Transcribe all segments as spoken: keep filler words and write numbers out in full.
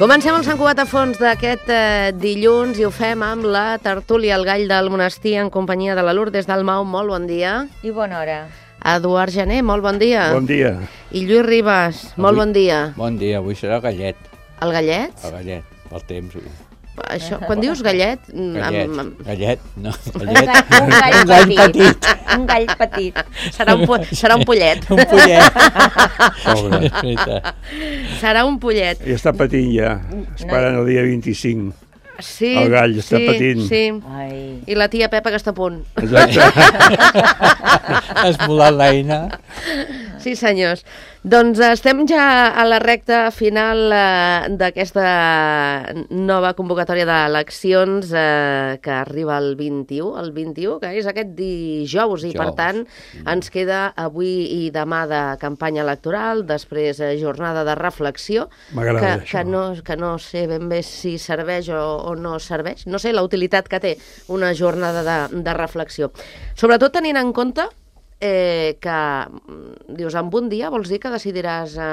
Comencem el Sant Cugat a fons d'aquest eh, dilluns i ho fem amb la tertúlia El Gall del Monestir en companyia de la Lourdes Dalmau. Molt bon dia. I bona hora. Eduard Gené, molt bon dia. Bon dia. I Lluís Ribas, molt bon dia. Bon dia, avui serà gallet. El gallet? El gallet, pel temps. Això, quan dius gallet... Gallet, amb, amb... gallet, no, Un gallet. gall, un gall, Un gall petit. Un gall petit. Serà un, pu serà un pollet. Un pollet. Pobre. Serà un pollet. I està patint ja. Esperant el dia vint-i-cinc. Sí, El gall està sí, patint. Sí. Ai. I la tia Pepa que està a punt. Exacte. Has volat l'eina. Sí, senyors. Doncs estem ja a la recta final eh, d'aquesta nova convocatòria d'eleccions eh, que arriba el vint-i-u, el vint-i-u, que és aquest dijous, i per Dijous. tant ens queda avui i demà de campanya electoral, després eh, jornada de reflexió, M'agrada que, això. que, no, que no sé ben bé si serveix o, o no serveix. No sé la utilitat que té una jornada de, de reflexió. Sobretot tenint en compte Eh, que, dius, en un dia vols dir que decidiràs eh,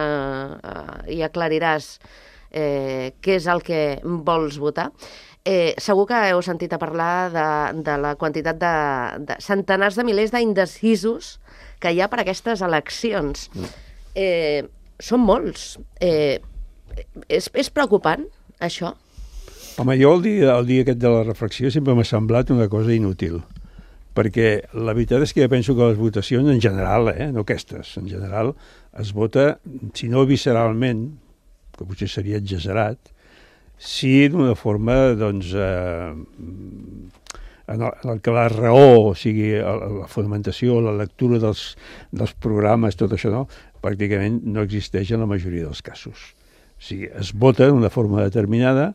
eh, i aclariràs eh, què és el que vols votar. Eh, segur que heu sentit a parlar de, de la quantitat de, de centenars de milers d'indecisos que hi ha per aquestes eleccions. Eh, són molts. Eh, és, és preocupant, això? Home, jo el dia, el dia aquest de la reflexió sempre m'ha semblat una cosa inútil, perquè la veritat és que jo penso que les votacions en general, eh, no aquestes, en general es vota, si no visceralment, que potser seria exagerat, sí d'una forma, doncs, eh, en, el, en el que la raó, o sigui, la, la fonamentació, la lectura dels, dels programes, tot això, no, pràcticament no existeix en la majoria dels casos. O sigui, es vota d'una forma determinada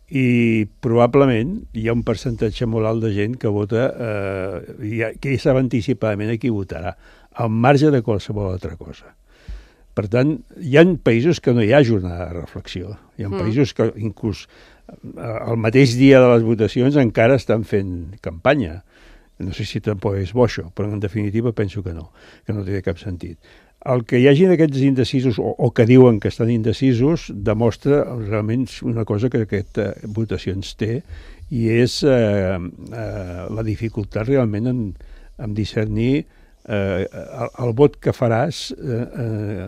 i probablement hi ha un percentatge molt alt de gent que vota, eh, ja, que ja sap anticipadament a qui votarà, al marge de qualsevol altra cosa. Per tant, hi ha països que no hi ha jornada de reflexió. Hi ha mm. països que inclús el mateix dia de les votacions encara estan fent campanya. No sé si tampoc és bo això, però en definitiva penso que no, que no té cap sentit. El que hi hagi d'aquests indecisos, o, o que diuen que estan indecisos, demostra realment una cosa que aquesta votació ens té, i és eh, eh, la dificultat realment en, en discernir eh, el, el vot que faràs eh, eh,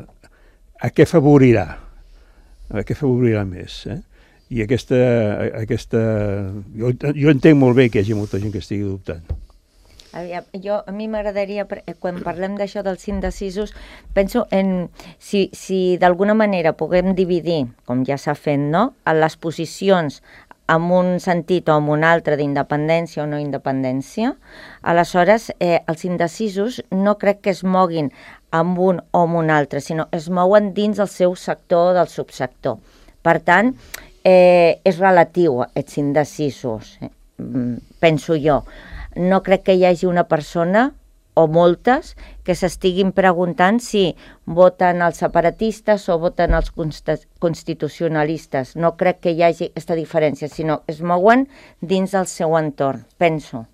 a què favorirà, a què favorirà més. Eh? I aquesta... aquesta jo, jo entenc molt bé que hi hagi molta gent que estigui dubtant. Aviam, jo, a mi m'agradaria, quan parlem d'això dels indecisos, penso en si, si d'alguna manera puguem dividir, com ja s'ha fet, no?, en les posicions en un sentit o en un altre d'independència o no independència, aleshores eh, els indecisos no crec que es moguin amb un o amb un altre, sinó es mouen dins del seu sector o del subsector. Per tant, eh, és relatiu, aquests indecisos, eh, penso jo. No crec que hi hagi una persona o moltes que s'estiguin preguntant si voten els separatistes o voten els constitucionalistes. No crec que hi hagi aquesta diferència, sinó es mouen dins del seu entorn, penso.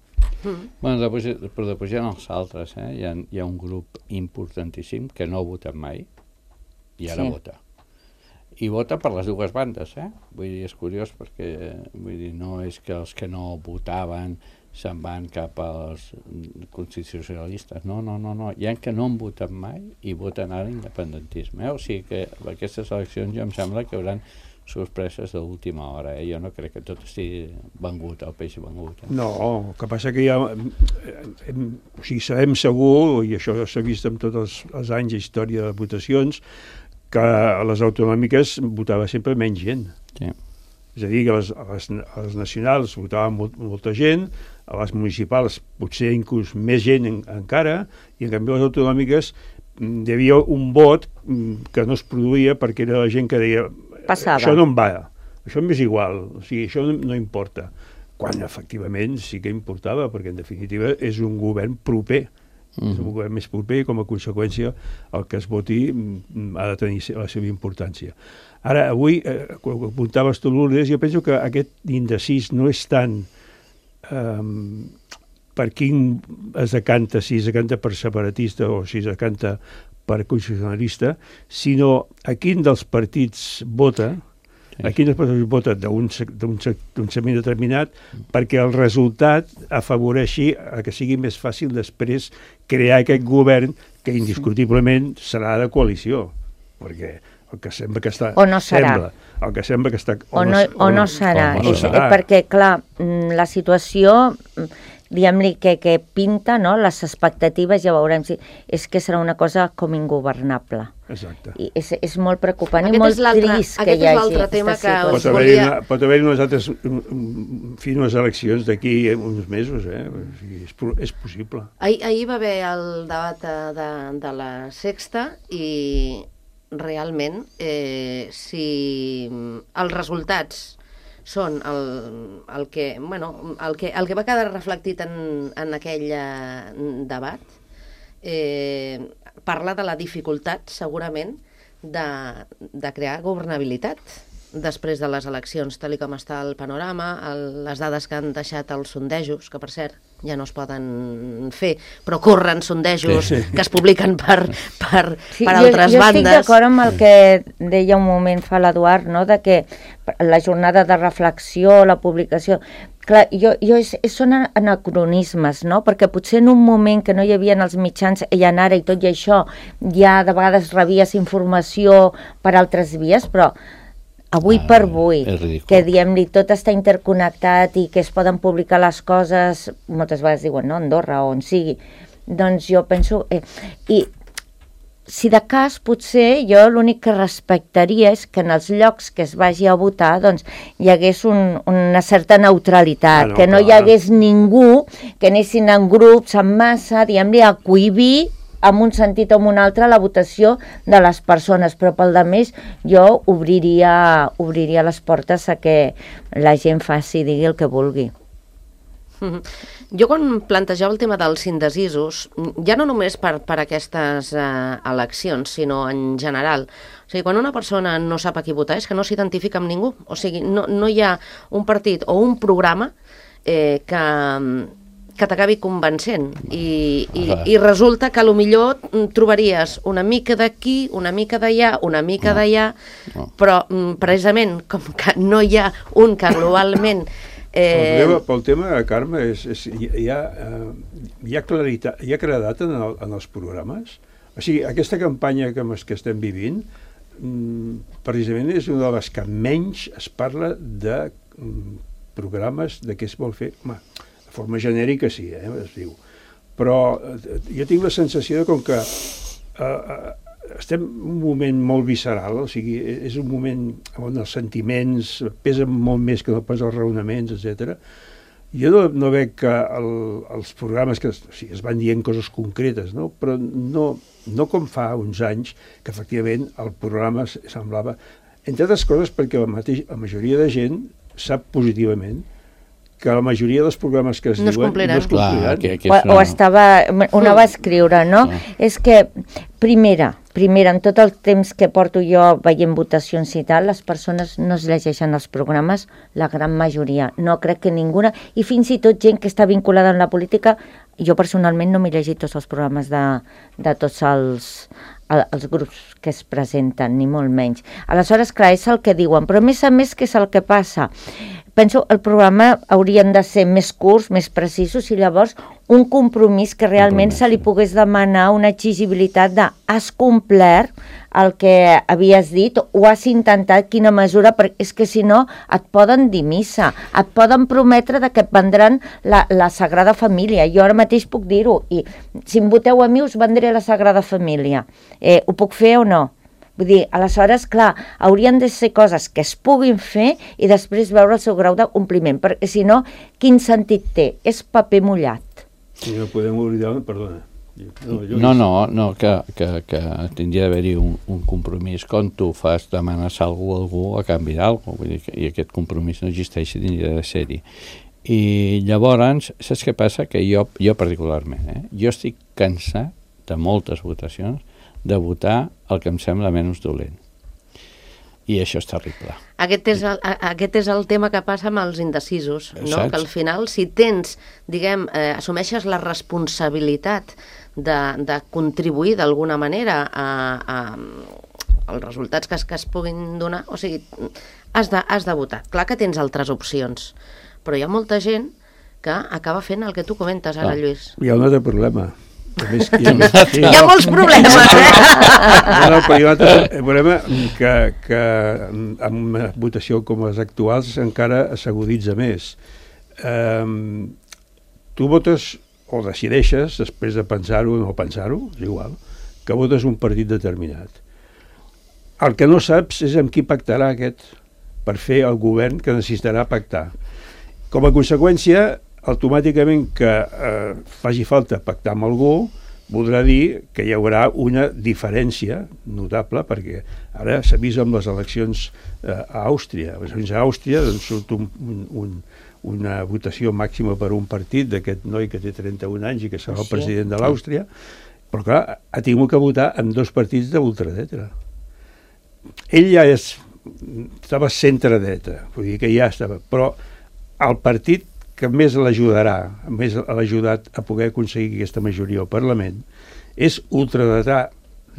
Mm. Bueno, després, però després hi ha els altres, eh? Hi ha, hi ha un grup importantíssim que no ha votat mai i ara sí. vota. I vota per les dues bandes, eh? Vull dir, és curiós perquè vull dir, no és que els que no votaven se'n van cap als constitucionalistes. No, no, no, no. Hi ha que no han votat mai i voten ara independentisme. Eh? O sigui que aquestes eleccions jo em sembla que hauran sorpreses d'última hora. Eh? Jo no crec que tot estigui vengut, el peix vengut. Eh? No, el que passa que ja... Hem, o sigui, sabem segur, i això s'ha vist en tots els, els anys d'història de votacions, que a les autonòmiques votava sempre menys gent. Sí. És a dir, que a les, a les, a les nacionals votava molt, molta gent, a les municipals potser inclús més gent en, encara, i en canvi a les autonòmiques hi havia un vot que no es produïa perquè era la gent que deia Passava. Això no em va, això m'és igual, o sigui, això no, no importa. Quan efectivament sí que importava, perquè en definitiva és un govern proper, mm-hmm. és un govern més proper i com a conseqüència el que es voti ha de tenir la seva importància. Ara, avui, eh, quan apuntaves tu, Lourdes, jo penso que aquest indecís no és tant eh, per quin es decanta, si es decanta per separatista o si es decanta per constitucionalista, sinó a quin dels partits vota Aquí no es pot vota d'un segment determinat perquè el resultat afavoreixi a que sigui més fàcil després crear aquest govern que indiscutiblement serà de coalició, perquè el que sembla que està... O no serà. Sembla, el que sembla que està... O no, o no serà. O no serà. Perquè, clar, la situació... diguem-li que, que pinta, no? Les expectatives, ja veurem si... És que serà una cosa com ingovernable. Exacte. I és, és molt preocupant aquest i molt trist que hi hagi. Aquest és l'altre tema que us pot haver-hi volia... una, pot haver unes altres fi, unes eleccions d'aquí uns mesos, eh? O sigui, és, és possible. Ahir, ahir va haver el debat de, de la Sexta i realment eh, si els resultats són el, el, que, bueno, el, que, el que va quedar reflectit en, en aquell eh, debat, eh, parla de la dificultat, segurament, de, de crear governabilitat després de les eleccions, tal com està el panorama, el, les dades que han deixat els sondejos, que per cert ja no es poden fer, però corren sondejos sí, sí. que es publiquen per, per, sí, per altres jo, jo bandes. Jo estic d'acord amb el que deia un moment fa l'Eduard, no? De que la jornada de reflexió, la publicació... Clar, jo, jo és, són anacronismes, no? Perquè potser en un moment que no hi havia els mitjans i en ara i tot i això ja de vegades rebies informació per altres vies, però avui ah, per avui, que diem-li tot està interconnectat i que es poden publicar les coses, moltes vegades diuen, no, Andorra o on sigui, doncs jo penso... Eh, I si de cas, potser jo l'únic que respectaria és que en els llocs que es vagi a votar doncs hi hagués un, una certa neutralitat, ah, no, que no clar. Hi hagués ningú, que anessin en grups, en massa, diguem-li, a cohibir en un sentit o en un altre la votació de les persones, però pel de més jo obriria, obriria les portes a que la gent faci, digui el que vulgui. Mm-hmm. Jo quan plantejava el tema dels indecisos, ja no només per, per aquestes eh, eleccions, sinó en general, o sigui, quan una persona no sap a qui votar és que no s'identifica amb ningú, o sigui, no, no hi ha un partit o un programa eh, que... que t'acabi convencent i, i, i resulta que millor trobaries una mica d'aquí, una mica d'allà, una mica no. d'allà, no. però precisament com que no hi ha un que globalment... Eh... El, tema, pel tema, Carme, és, és, hi, ha, hi ha claritat, hi ha claredat en, el, en els programes. O sigui, aquesta campanya que, que estem vivint precisament és una de les que menys es parla de programes de què es vol fer. Home, de forma genèrica sí, eh, es diu. Però jo tinc la sensació de com que eh, estem en un moment molt visceral, o sigui, és un moment on els sentiments pesen molt més que no pas els raonaments, etcètera. Jo no, no veig que el, els programes que o sigui, es van dient coses concretes, no? Però no, no com fa uns anys que efectivament el programa semblava, entre altres coses perquè la, mateix, la majoria de gent sap positivament que la majoria dels programes que es no diuen es no es compliran. Clar, que, que o, o estava, una va escriure, no? Clar. És que, primera, primera, en tot el temps que porto jo veient votacions i tal, les persones no es llegeixen els programes, la gran majoria. No crec que ninguna, i fins i tot gent que està vinculada amb la política, jo personalment no m'he llegit tots els programes de, de tots els, els grups que es presenten, ni molt menys. Aleshores, clar, és el que diuen, però a més a més, què és el que passa? Penso que el programa haurien de ser més curts, més precisos, i llavors un compromís que realment se li pogués demanar una exigibilitat de has complert el que havies dit o has intentat quina mesura, perquè és que si no et poden dir missa, et poden prometre de que et vendran la, la Sagrada Família. Jo ara mateix puc dir-ho, i si em voteu a mi us vendré la Sagrada Família. Eh, ho puc fer o no? Vull dir, aleshores, clar, haurien de ser coses que es puguin fer i després veure el seu grau d'acompliment, perquè si no, quin sentit té? És paper mullat. Sí, no podem oblidar, perdona. No, no, no, no que, que, que tindria d'haver-hi un, un compromís. Quan tu fas, demanes algú a algú a canvi d'algú, vull dir, i aquest compromís no existeix, tindria de ser-hi. I llavors, saps què passa? Que jo, jo particularment, eh, jo estic cansat de moltes votacions de votar el que em sembla menys dolent. I això és terrible. Aquest és el, aquest és el tema que passa amb els indecisos, no? Que al final, si tens, diguem, eh, assumeixes la responsabilitat de, de contribuir d'alguna manera a, a, als resultats que es, que es puguin donar, o sigui, has de, has de votar. Clar que tens altres opcions, però hi ha molta gent que acaba fent el que tu comentes ara, Lluís. Hi ha un altre problema. A més, hi, ha, sí. hi ha molts problemes, eh? No, no, però hi ha un altre problema que, que amb una votació com les actuals encara s'aguditza més. Um, tu votes o decideixes, després de pensar-ho o no pensar-ho, és igual, que votes un partit determinat. El que no saps és amb qui pactarà aquest per fer el govern que necessitarà pactar. Com a conseqüència, automàticament que eh, faci falta pactar amb algú, voldrà dir que hi haurà una diferència notable, perquè ara s'ha vist amb les eleccions eh, a Àustria. A Àustria doncs, surt un, un, una votació màxima per un partit d'aquest noi que té trenta-un anys i que serà el president de l'Àustria, però clar, ha tingut que votar amb dos partits d'ultradreta. Ell ja és, estava centre-dreta, vull dir que ja estava, però el partit que més l'ajudarà, més l'ha ajudat a poder aconseguir aquesta majoria al Parlament, és ultradretà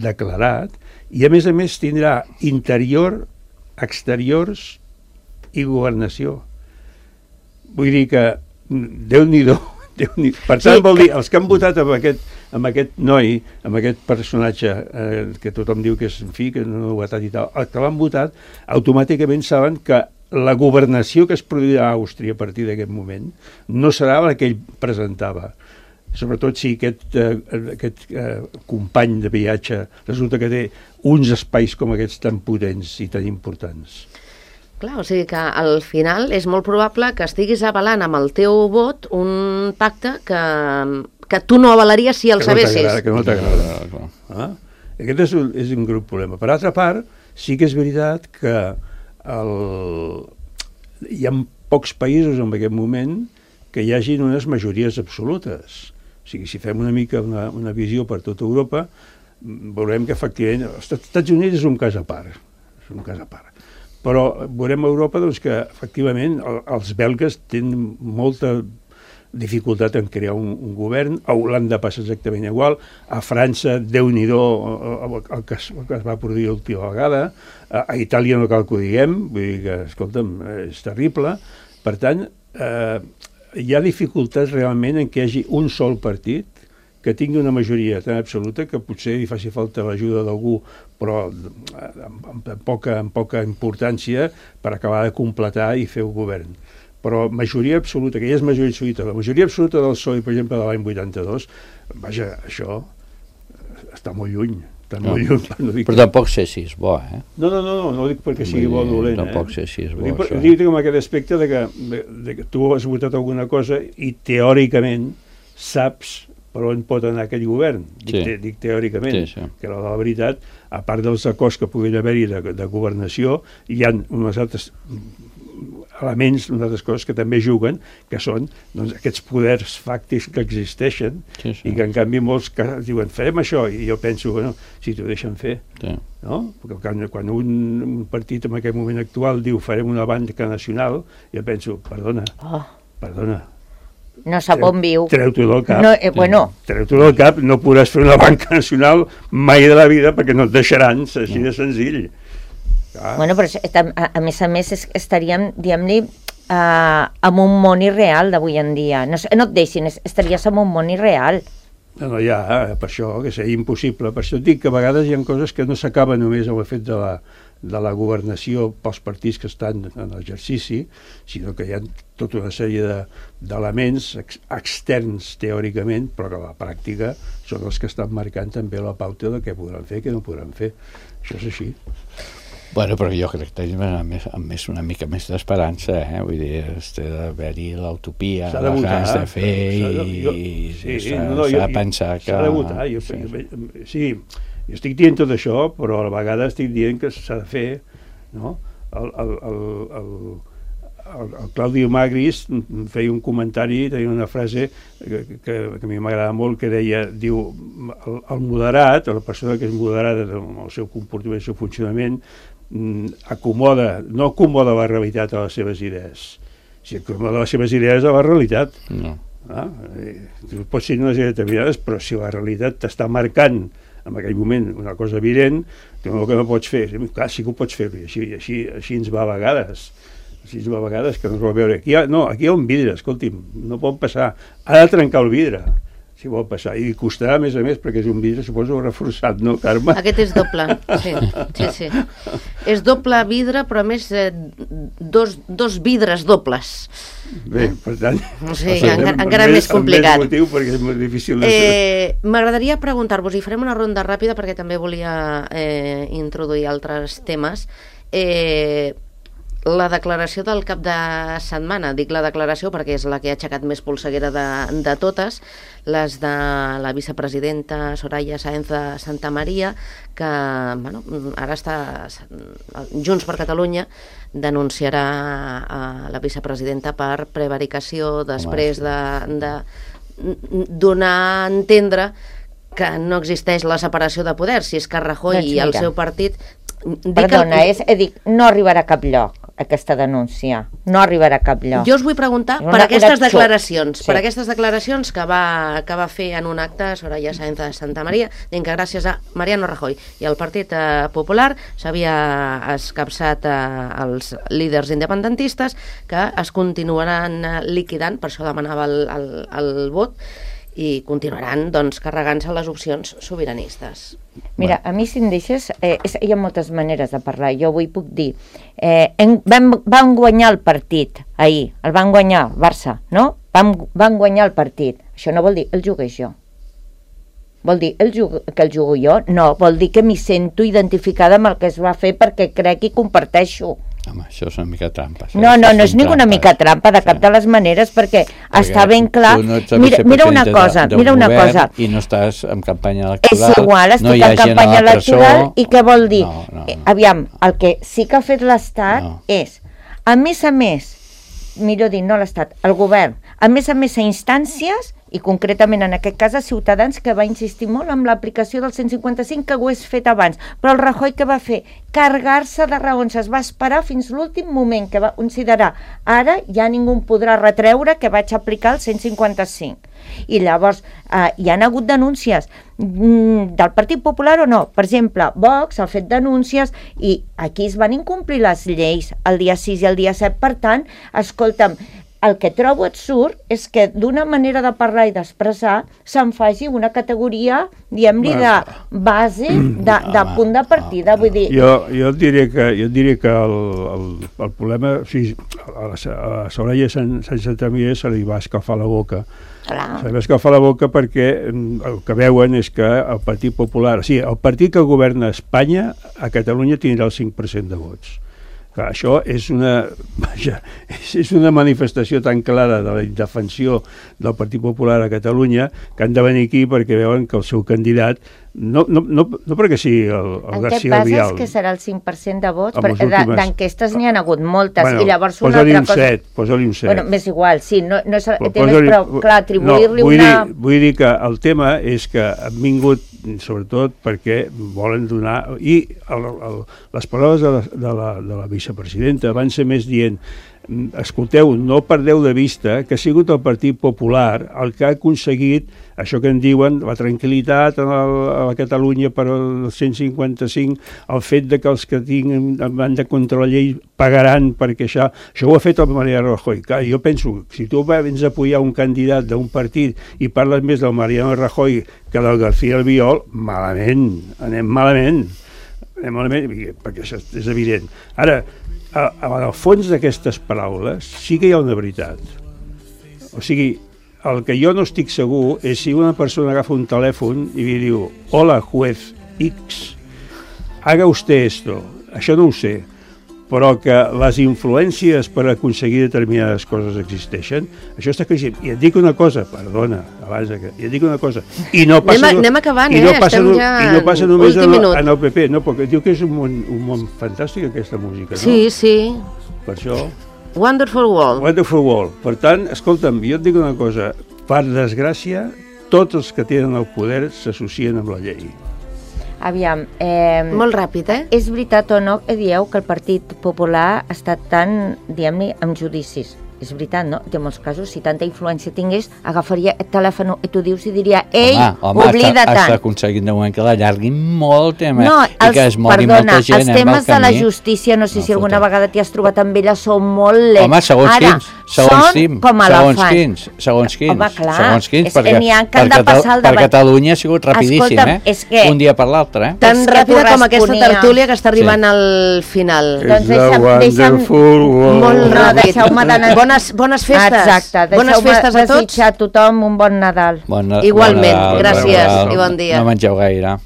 declarat i a més a més tindrà interior, exteriors i governació. Vull dir que Déu-n'hi-do, Déu-n'hi-do. Per tant, vol dir, els que han votat amb aquest, amb aquest noi, amb aquest personatge eh, que tothom diu que és en fi, que no ha votat i tal, els que l'han votat automàticament saben que la governació que es produirà a Àustria a partir d'aquest moment no serà la que ell presentava. Sobretot si aquest, eh, aquest eh, company de viatge resulta que té uns espais com aquests tan potents i tan importants. Clar, o sigui que al final és molt probable que estiguis avalant amb el teu vot un pacte que, que tu no avalaries si el que sabessis. No que no t'agrada. Ah? Aquest és un, és un grup problema. Per altra part, sí que és veritat que el... hi ha pocs països en aquest moment que hi hagin unes majories absolutes. O sigui, si fem una mica una, una visió per tota Europa, veurem que efectivament els Estats Units és un cas a part, és un cas a part. Però veurem a Europa doncs, que efectivament els belgues tenen molta dificultat en crear un, un govern, a Holanda passa exactament igual, a França, Déu-n'hi-do el, el, que es, el que es va produir l'última vegada, a, a Itàlia no cal que ho diguem, vull dir que, escolta'm, és terrible. Per tant, eh, hi ha dificultats realment en què hi hagi un sol partit que tingui una majoria tan absoluta que potser hi faci falta l'ajuda d'algú, però amb, amb, poca, amb poca importància per acabar de completar i fer un govern. Però majoria absoluta, que ja és majoria absoluta, la majoria absoluta del P S O E, per exemple, de l'any vuitanta-dos, vaja, això està molt lluny, està no. molt lluny. No dic... Però tampoc sé si és bo, eh? No, no, no, no, no dic perquè sigui bo o dolent, eh? Tampoc sé si és bo, dic, això. Dic com aquest aspecte de que, de, de que tu has votat alguna cosa i teòricament saps per on pot anar aquell govern. Dic, sí. te, dic teòricament, sí, sí. que la, la veritat, a part dels acords que puguin haver-hi de, de governació, hi ha unes altres elements, unes altres coses que també juguen, que són doncs, aquests poders fàctics que existeixen sí, sí. i que en canvi molts que diuen farem això, i jo penso, bueno, si t'ho deixen fer, sí. no? Perquè quan, quan un, un partit en aquest moment actual diu farem una banca nacional, jo penso, perdona, oh. perdona, no sap on viu. Treu-t'ho del cap. No, eh, bueno. Treu-t'ho del cap, no podràs fer una banca nacional mai de la vida perquè no et deixaran, així de senzill. Ah. Bueno, però a, a més a més és, estaríem, diguem-ne, uh, en un món irreal d'avui en dia. No, no et deixin, estaries en un món irreal. No, no, ja, per això, que seria impossible. Per això et dic que a vegades hi ha coses que no s'acaben només amb el fet de la, de la governació pels partits que estan en l'exercici, sinó que hi ha tota una sèrie d'elements de, ex, externs teòricament, però que a la pràctica són els que estan marcant també la pauta de què podran fer i què no podran fer. Això és així. Bueno, però jo crec que tenim més, més una mica més d'esperança, eh? Vull dir, s'ha d'haver-hi l'utopia, les ganes de fer i s'ha de pensar que... S'ha de votar, jo, sí. sí, jo estic dient tot això, però a la vegada estic dient que s'ha de fer, no? El, el, el, el, el, el Claudio Magris feia un comentari, tenia una frase que, que, que a mi m'agrada molt, que deia, diu, el, el moderat, la persona que és moderada en el seu comportament, el seu funcionament, acomoda, no acomoda la realitat a les seves idees, si acomoda les seves idees a la realitat. No. Ah, tu pots ser unes idees determinades, però si la realitat t'està marcant en aquell moment una cosa evident, tu el que no pots fer, clar, sí que ho pots fer, així, així, així ens va a vegades, així ens va a vegades que no es vol veure. Aquí hi ha, no, aquí hi ha un vidre, escolti'm, no pot passar, ha de trencar el vidre, si vol passar, i costarà a més a més perquè és un vidre, suposo, reforçat, no, Carme? Aquest és doble, sí, sí, sí. És doble vidre, però a més eh, dos, dos vidres dobles. Bé, per tant... Sí, encara, encara més complicat. Amb més motiu, perquè és molt difícil de eh, M'agradaria preguntar-vos, i farem una ronda ràpida perquè també volia eh, introduir altres temes. Eh, la declaració del cap de setmana, dic la declaració perquè és la que ha aixecat més polseguera de, de totes, les de la vicepresidenta Soraya Sáenz de Santamaría, que bueno, ara està Junts per Catalunya denunciarà a la vicepresidenta per prevaricació després de, de donar a entendre que no existeix la separació de poders, si és que Rajoy doncs i el seu partit... Perdona, el... és, dic, no arribarà a cap lloc aquesta denúncia, no arribarà a cap lloc. Jo us vull preguntar per aquestes declaracions, sí. per aquestes declaracions que va, que va fer en un acte Soraya Sáenz de Santamaría, dient que gràcies a Mariano Rajoy i al Partit eh, Popular s'havia escapçat eh, els líders independentistes que es continuaran eh, liquidant, per això demanava el, el, el vot, i continuaran doncs, carregant-se les opcions sobiranistes. Mira, a mi si em deixes, eh, és, hi ha moltes maneres de parlar. Jo avui puc dir, eh, en, van, van guanyar el partit ahir, el van guanyar Barça, no? Van, van guanyar el partit. Això no vol dir el jugués jo. Vol dir el jugo, que el jugo jo? No, vol dir que m'hi sento identificada amb el que es va fer perquè crec i comparteixo. Home, això és una mica trampa. No, no, no és ninguna mica trampa, de cap de les maneres, perquè, perquè està ben clar... No mira, mira una cosa, de, mira una cosa. I no estàs en campanya electoral. És igual, estic no en campanya electoral, i què vol dir? No, no, no. Aviam, el que sí que ha fet l'Estat no. és, a més a més, millor dir, no l'Estat, el govern, a més a més a instàncies, i concretament en aquest cas a Ciutadans, que va insistir molt amb l'aplicació del cent cinquanta-cinc, que ho és fet abans. Però el Rajoy què va fer? Carregar-se de raons, es va esperar fins l'últim moment, que va considerar ara ja ningú podrà retreure que vaig aplicar el cent cinquanta-cinc. I llavors eh, hi han hagut denúncies mm, del Partit Popular o no. Per exemple, Vox ha fet denúncies i aquí es van incomplir les lleis el dia sis i el dia set. Per tant, escolta'm, el que trobo absurd és que d'una manera de parlar i d'expressar se'n faci una categoria, diguem-li, de base, de, de punt de partida. Vull dir... Jo, jo et diré que, jo et diré que el, el, el problema, o sigui, a, a Soraya Santamaría se li va escalfar la boca. Clar. Se li va escalfar la boca perquè el que veuen és que el Partit Popular, o sigui, el partit que governa Espanya, a Catalunya tindrà el cinc per cent de vots. Clar, això és una, vaja, és una manifestació tan clara de la indefensió del Partit Popular a Catalunya que han de venir aquí perquè veuen que el seu candidat, no, no, no, no perquè sigui el, el García Albiol... En què passa és que serà el cinc per cent de vots? D'enquestes últimes... n'hi ha hagut moltes, bueno, i llavors una altra cosa... set, posa-li un set. Bueno, m'és igual, sí, no, no és, però, clar, atribuir-li no, vull una... Dir, vull dir que el tema és que han vingut sobretot perquè volen donar... I el, el, les paraules de la, de, la, de la vicepresidenta van ser més dient: escolteu, no perdeu de vista que ha sigut el Partit Popular el que ha aconseguit això que en diuen la tranquil·litat a la, a la Catalunya per el cent cinquanta-cinc, el fet de que els que tinguin van de contra la llei pagaran perquè això, això ho ha fet el Mariano Rajoy. Clar, jo penso, si tu vens a apoyar un candidat d'un partit i parles més del Mariano Rajoy que del García Albiol, malament, anem malament, anem malament, perquè això és evident. Ara, al fons d'aquestes paraules sí que hi ha una veritat. O sigui, el que jo no estic segur és si una persona agafa un telèfon i li diu: hola, juez X, haga usted esto. Això no ho sé, però que les influències per aconseguir determinades coses existeixen, això està creixent. I et dic una cosa, perdona, abans que... I et dic una cosa, i no passa... Anem, anem acabant, i no eh? Passa, Estem ja i no passa només en el, en el P P, no, perquè diu que és un món, un món fantàstic, aquesta música, no? Sí, sí. Per això... Wonderful World. Wonderful World. Per tant, escolta'm, jo et dic una cosa, per desgràcia, tots els que tenen el poder s'associen amb la llei. Aviam... Eh, Molt ràpid, eh? És veritat o no que dieu que el Partit Popular ha estat tan, diguem-ne, amb judicis? és veritat, no? En molts casos, si tanta influència tingués, agafaria el telèfon i t'ho dius i diria, ei, oblida-te'n. Home, està aconseguint de moment que l'allarguin molt tema no, i els, que es mogui perdona, molta gent els temes eh, de la justícia, no sé no, si alguna fotem. vegada t'hi has trobat amb ella, són molt lents. Home, segons Ara, quins, segons quins, com segons quins, segons quins, Home, clar, segons quins, és, perquè n'hi ha que han de passar el per debat. Catalunya ha sigut rapidíssim, Escolta, eh? És que, un dia per l'altre, eh? Tan ràpida com aquesta tertúlia que està arribant sí. al final. Doncs deixa'm, deixa'm, molt ràpid. Deixeu-me d'anar... Bones, bones festes. Exacte, bones festes a tots. Desitjar a tothom un bon Nadal. Bon, Igualment, bon Nadal, gràcies bon Nadal. i bon dia. No mengeu gaire.